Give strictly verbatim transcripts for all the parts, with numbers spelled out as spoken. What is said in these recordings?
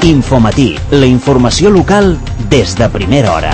Infomatí, la informació local des de primera hora.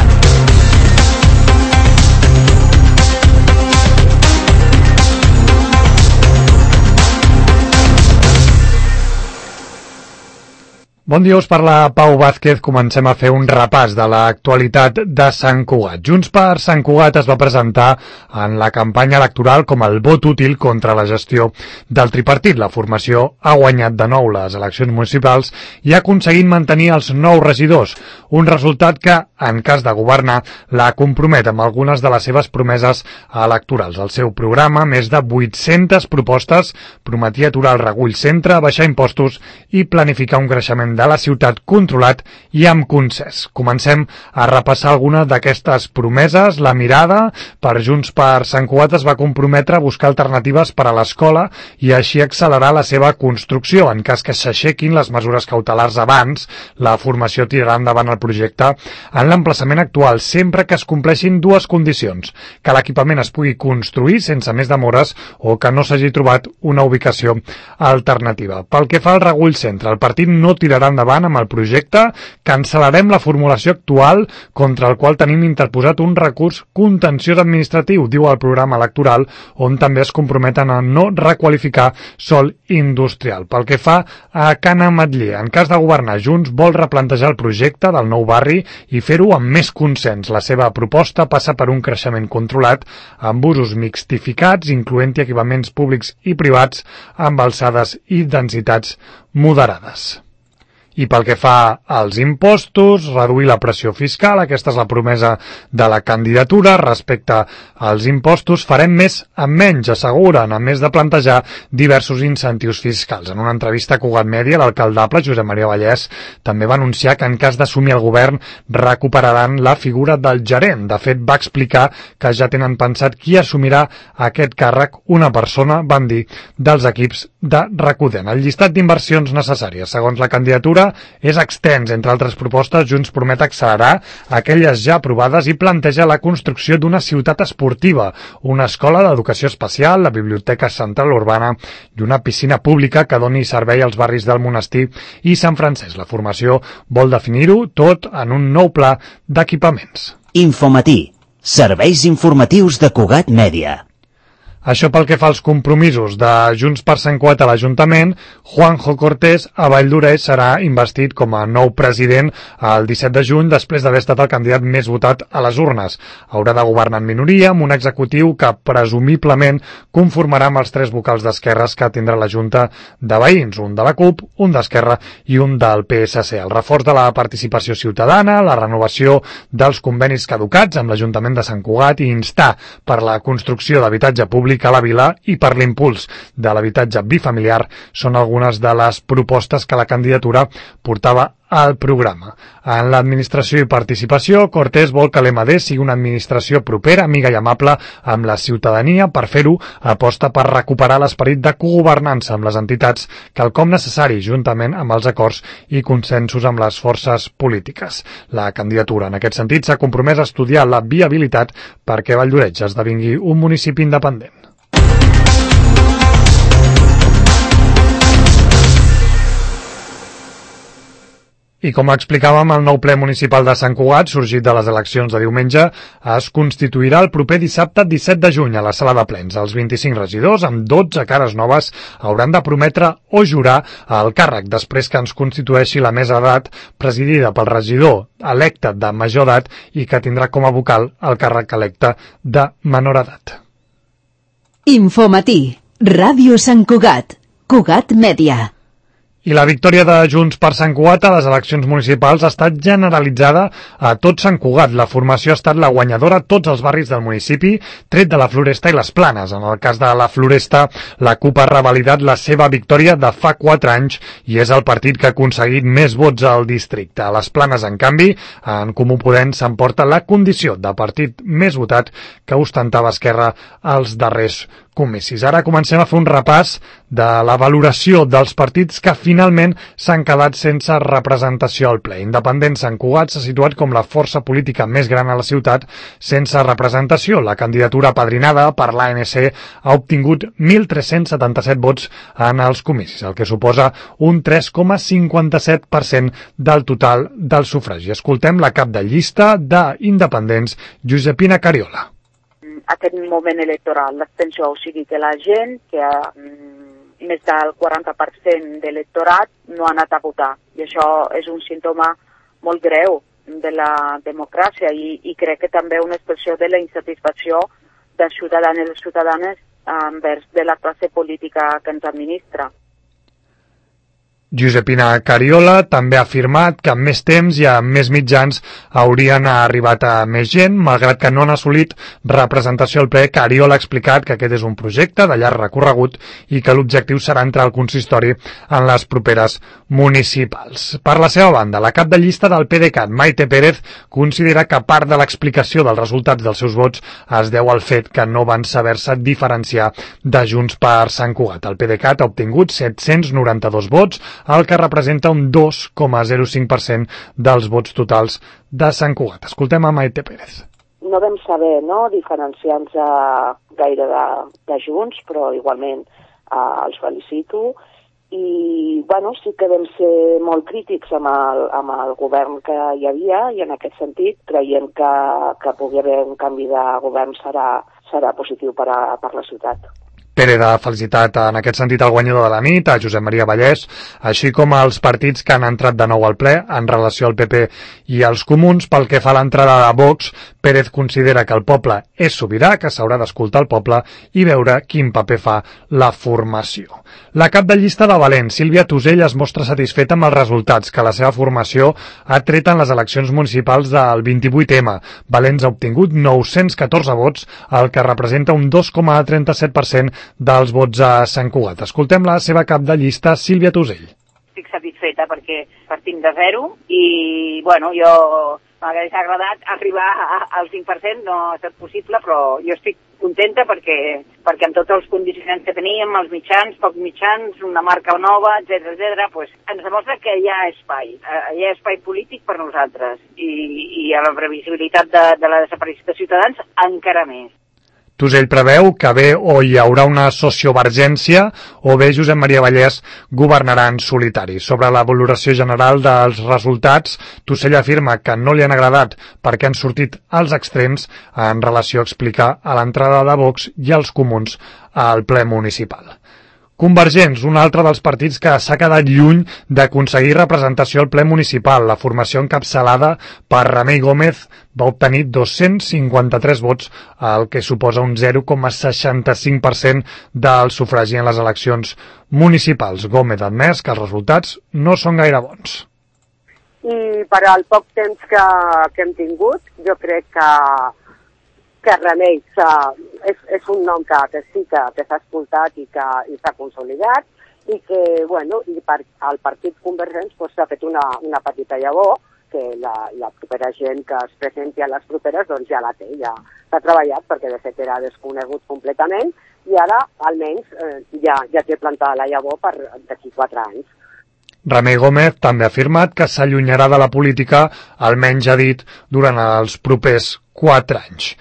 Bon dia, us parla Pau Vázquez. Comencem a fer un repàs de l'actualitat de Sant Cugat. Junts per Sant Cugat es va presentar en la campanya electoral com el vot útil contra la gestió del tripartit. La formació ha guanyat de nou les eleccions municipals i ha aconseguit mantenir els nou regidors, un resultat que, en cas de governar, la compromet amb algunes de les seves promeses electorals. El seu programa, més de vuit-centes propostes, prometia aturar el regull centre, baixar impostos i planificar un creixement de la ciutat controlat i amb consens. Comencem a repassar alguna d'aquestes promeses. La mirada per Junts per Sant Cugat es va comprometre a buscar alternatives per a l'escola i així accelerar la seva construcció. En cas que s'aixequin les mesures cautelars abans, la formació tirarà endavant el projecte en l'emplaçament actual, sempre que es compleixin dues condicions: que l'equipament es pugui construir sense més demores o que no s'hagi trobat una ubicació alternativa. Pel que fa al regull centre, el partit no tirarà endavant amb el projecte. Cancel·larem la formulació actual contra el qual tenim interposat un recurs contenciós administratiu, diu el programa electoral, on també es comprometen a no requalificar sòl industrial. Pel que fa a Can Ametller, en cas de governar, Junts vol replantejar el projecte del nou barri i fer-ho amb més consens. La seva proposta passa per un creixement controlat amb usos mixtificats, incloent-hi equipaments públics i privats amb alçades i densitats moderades. I pel que fa als impostos, reduir la pressió fiscal. Aquesta és la promesa de la candidatura. Respecte als impostos, farem més amb menys, asseguren, a més de plantejar diversos incentius fiscals. En una entrevista a Cugat Mèdia, l'alcaldable Josep Maria Vallès també va anunciar que en cas d'assumir el govern recuperaran la figura del gerent. De fet, va explicar que ja tenen pensat qui assumirà aquest càrrec, una persona, van dir, dels equips de Recudent. El llistat d'inversions necessàries, segons la candidatura, és extens. Entre altres propostes, Junts promet accelerar aquelles ja aprovades i planteja la construcció d'una ciutat esportiva, una escola d'educació especial, la biblioteca central urbana i una piscina pública que doni servei als barris del Monestir i Sant Francesc. La formació vol definir-ho tot en un nou pla d'equipaments. Infomatí, serveis informatius de Cugat Mèdia. Això pel que fa als compromisos de Junts per Sant Cugat a l'Ajuntament. Juanjo Cortés a Valldoreix serà investit com a nou president el disset de juny després d'haver estat el candidat més votat a les urnes. Haurà de governar en minoria amb un executiu que presumiblement conformarà amb els tres vocals d'esquerres que tindrà la Junta de Veïns, un de la CUP, un d'Esquerra i un del P S C. El reforç de la participació ciutadana, la renovació dels convenis caducats amb l'Ajuntament de Sant Cugat i instar per la construcció d'habitatge públic a la vila i per l'impuls de l'habitatge bifamiliar són algunes de les propostes que la candidatura portava al programa. En l'administració i participació, Cortés vol que l'E M D sigui una administració propera, amiga i amable amb la ciutadania. Per fer-ho, aposta per recuperar l'esperit de cogovernança amb les entitats, quelcom necessari juntament amb els acords i consensos amb les forces polítiques. La candidatura, en aquest sentit, s'ha compromès a estudiar la viabilitat perquè Valldoreix esdevingui un municipi independent. I com explicàvem, el nou ple municipal de Sant Cugat, sorgit de les eleccions de diumenge, es constituirà el proper dissabte disset de juny a la sala de plens. Els vint-i-cinc regidors, amb dotze cares noves, hauran de prometre o jurar el càrrec després que ens constitueixi la mesa d'edat presidida pel regidor electe de major edat i que tindrà com a vocal el càrrec electe de menor edat. Infomatí, Ràdio Sant Cugat, Cugat Mèdia. I la victòria de Junts per Sant Cugat a les eleccions municipals ha estat generalitzada a tot Sant Cugat. La formació ha estat la guanyadora a tots els barris del municipi, tret de la Floresta i les Planes. En el cas de la Floresta, la CUP ha revalidat la seva victòria de fa quatre anys i és el partit que ha aconseguit més vots al districte. A les Planes, en canvi, en Comú Podem s'emporta la condició de partit més votat que ostentava Esquerra als darrers comicis. Ara comencem a fer un repàs de la valoració dels partits que finalment s'han quedat sense representació al ple. Independent Sant Cugat s'ha situat com la força política més gran a la ciutat sense representació. La candidatura apadrinada per l'A N C ha obtingut mil tres-cents setanta-set vots en els comicis, el que suposa un tres coma cinquanta-set per cent del total del sufragi. Escoltem la cap de llista d'Independents, Josepina Cariola. Aquest moment electoral, l'abstenció, o sigui que la gent, que ha, mm, més del quaranta per cent de l'electorat no ha anat a votar. I això és un símptoma molt greu de la democràcia i, i crec que també una expressió de la insatisfacció dels ciutadans i les ciutadanes envers de la classe política que ens administra. Josepina Cariola també ha afirmat que amb més temps i amb més mitjans haurien arribat a més gent, malgrat que no han assolit representació al ple. Cariola ha explicat que aquest és un projecte de llarg recorregut i que l'objectiu serà entrar al consistori en les properes municipals. Per la seva banda, la cap de llista del PDeCAT, Maite Pérez, considera que part de l'explicació dels resultats dels seus vots es deu al fet que no van saber-se diferenciar de Junts per Sant Cugat. El PDeCAT ha obtingut set-cents noranta-dos vots, el que representa un dos coma zero cinc per cent dels vots totals de Sant Cugat. Escoltem a Maite Pérez. No vam saber no, diferenciar-nos gaire de, de Junts, però igualment eh, els felicito. I bueno, sí que vam ser molt crítics amb el, amb el govern que hi havia i en aquest sentit creiem que, que pugui haver un canvi de govern serà, serà positiu per a, per la ciutat. Pérez ha felicitat en aquest sentit el guanyador de la nit, a Josep Maria Vallès, així com als partits que han entrat de nou al ple en relació al P P i als Comuns. Pel que fa a l'entrada de Vox, Pérez considera que el poble és sobirà, que s'haurà d'escoltar el poble i veure quin paper fa la formació. La cap de llista de Valent, Sílvia Tusell, es mostra satisfeta amb els resultats que la seva formació ha tret en les eleccions municipals del vint-i-vuit eme. Valent ha obtingut nou-cents catorze vots, el que representa un dos coma trenta-set per cent dels vots a Sant Cugat. Escoltem la seva cap de llista, Sílvia Tusell. Estic satisfeta perquè partim de zero i, bueno, jo m'hagués agradat arribar al cinc per cent, no ha estat possible, però jo estic contenta perquè, perquè amb tots els condicionants que teníem, els mitjans, pocs mitjans, una marca nova, etcètera, etcètera, pues, ens demostra que hi ha espai, hi ha espai polític per nosaltres i, i a la previsibilitat de, de la desaparició de Ciutadans encara més. Tusell preveu que bé o hi haurà una sociovergència o bé Josep Maria Vallès governarà en solitari. Sobre la valoració general dels resultats, Tusell afirma que no li han agradat perquè han sortit als extrems en relació a explicar a l'entrada de Vox i els Comuns al ple municipal. Convergents, un altre dels partits que s'ha quedat lluny d'aconseguir representació al ple municipal. La formació encapçalada per Remei Gómez va obtenir dos-cents cinquanta-tres vots, el que suposa un zero coma seixanta-cinc per cent del sufragi en les eleccions municipals. Gómez ha admès que els resultats no són gaire bons. I per al poc temps que, que hem tingut, jo crec que que Remei és, és un nom que, que sí que, que s'ha escoltat i que i s'ha consolidat i que, bueno, i per, el partit Convergents pues, s'ha fet una, una petita llavor que la, la propera gent que es presenti a les properes doncs ja la té, ja s'ha treballat perquè de fet era desconegut completament i ara almenys eh, ja, ja té plantada la llavor per d'aquí quatre anys. Remei Gómez també ha afirmat que s'allunyarà de la política, almenys ha dit, durant els propers quatre anys.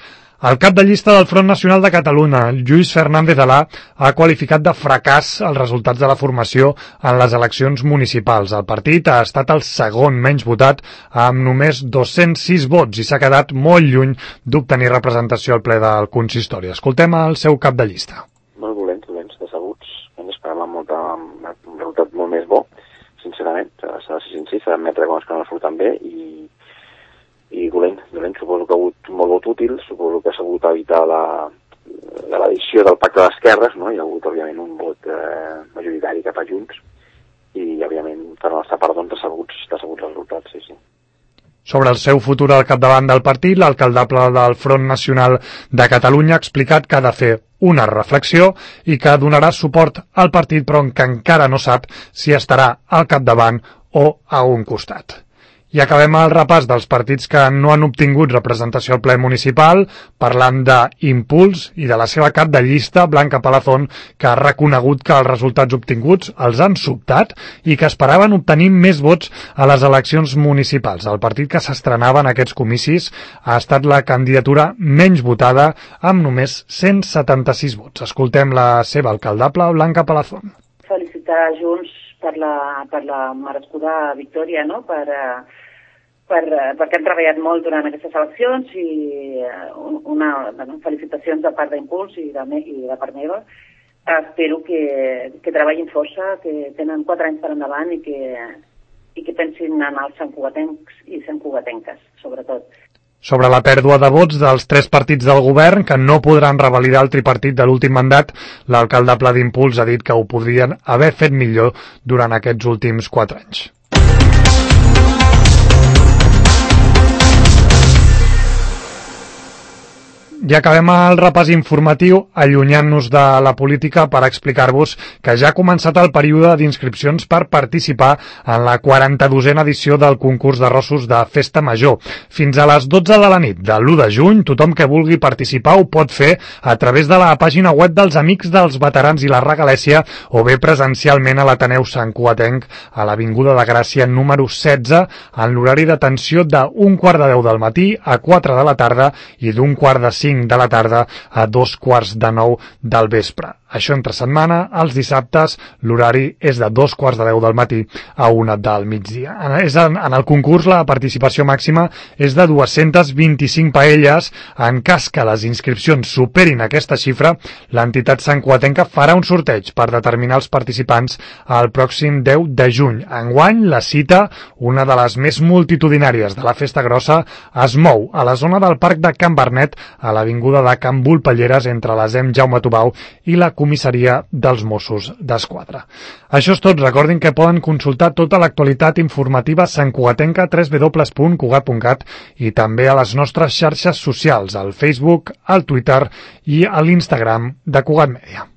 El cap de llista del Front Nacional de Catalunya, Lluís Fernández Alà, ha qualificat de fracàs els resultats de la formació en les eleccions municipals. El partit ha estat el segon menys votat amb només dos-cents sis vots i s'ha quedat molt lluny d'obtenir representació al ple del consistori. Escoltem el seu cap de llista. Molt dolents, dolents, decebuts. Hem esperat amb, molta, amb un resultat molt més bo, sincerament. S'ha de ser sincer, s'ha d'admetre que no surten bé i i dolent, dolent, suposo que ha hagut un molt vot útil, suposo que s'ha hagut evitar la, de l'edició del pacte d'esquerres, no? Hi ha hagut, òbviament, un vot eh, majoritari cap a Junts i, òbviament, per la nostra part, doncs, decebuts, decebuts resultats, sí, sí. Sobre el seu futur al capdavant del partit, l'alcaldable del Front Nacional de Catalunya ha explicat que ha de fer una reflexió i que donarà suport al partit, però que encara no sap si estarà al capdavant o a un costat. I acabem el repàs dels partits que no han obtingut representació al ple municipal, parlant d'Impuls i de la seva cap de llista, Blanca Palazón, que ha reconegut que els resultats obtinguts els han sobtat i que esperaven obtenir més vots a les eleccions municipals. El partit que s'estrenava en aquests comicis ha estat la candidatura menys votada, amb només cent setanta-sis vots. Escoltem la seva alcaldable, Blanca Palazón. Felicitar Junts per la, per la merescuda victòria, no? per, per, perquè hem treballat molt durant aquestes eleccions i una, bueno, felicitacions de part d'Impuls i de, i de part meva. Espero que, que treballin força, que tenen quatre anys per endavant i que, i que pensin en els santcugatencs i santcugatenques, sobretot. Sobre la pèrdua de vots dels tres partits del govern que no podran revalidar el tripartit de l'últim mandat, l'alcaldable d'Impuls ha dit que ho podrien haver fet millor durant aquests últims quatre anys. Ja acabem el repàs informatiu allunyant-nos de la política per explicar-vos que ja ha començat el període d'inscripcions per participar en la quaranta-dosena edició del concurs d'arrossos de Festa Major. Fins a les dotze de la nit de l'u de juny, tothom que vulgui participar ho pot fer a través de la pàgina web dels Amics dels Veterans i la Regalèssia o bé presencialment a l'Ateneu Santcugatenc a l'Avinguda de Gràcia número setze en l'horari d'atenció d'un quart de deu del matí a quatre de la tarda i d'un quart de cinc de la tarda a dos quarts de nou del vespre. Això entre setmana, els dissabtes, l'horari és de dos quarts de deu del matí a una del migdia. En el concurs la participació màxima és de dues-centes vint-i-cinc paelles. En cas que les inscripcions superin aquesta xifra, l'entitat santcugatenca farà un sorteig per determinar els participants el pròxim deu de juny. Enguany, la cita, una de les més multitudinàries de la Festa Grossa, es mou a la zona del Parc de Can Bernet, a l'avinguda de Can Volpelleres, entre la Sem Jaume Tubau i la comissaria dels Mossos d'Esquadra. Això és tot. Recordin que poden consultar tota l'actualitat informativa santcugatenca a w w w punt cugat punt cat i també a les nostres xarxes socials, al Facebook, al Twitter i a l'Instagram de Cugat Mèdia.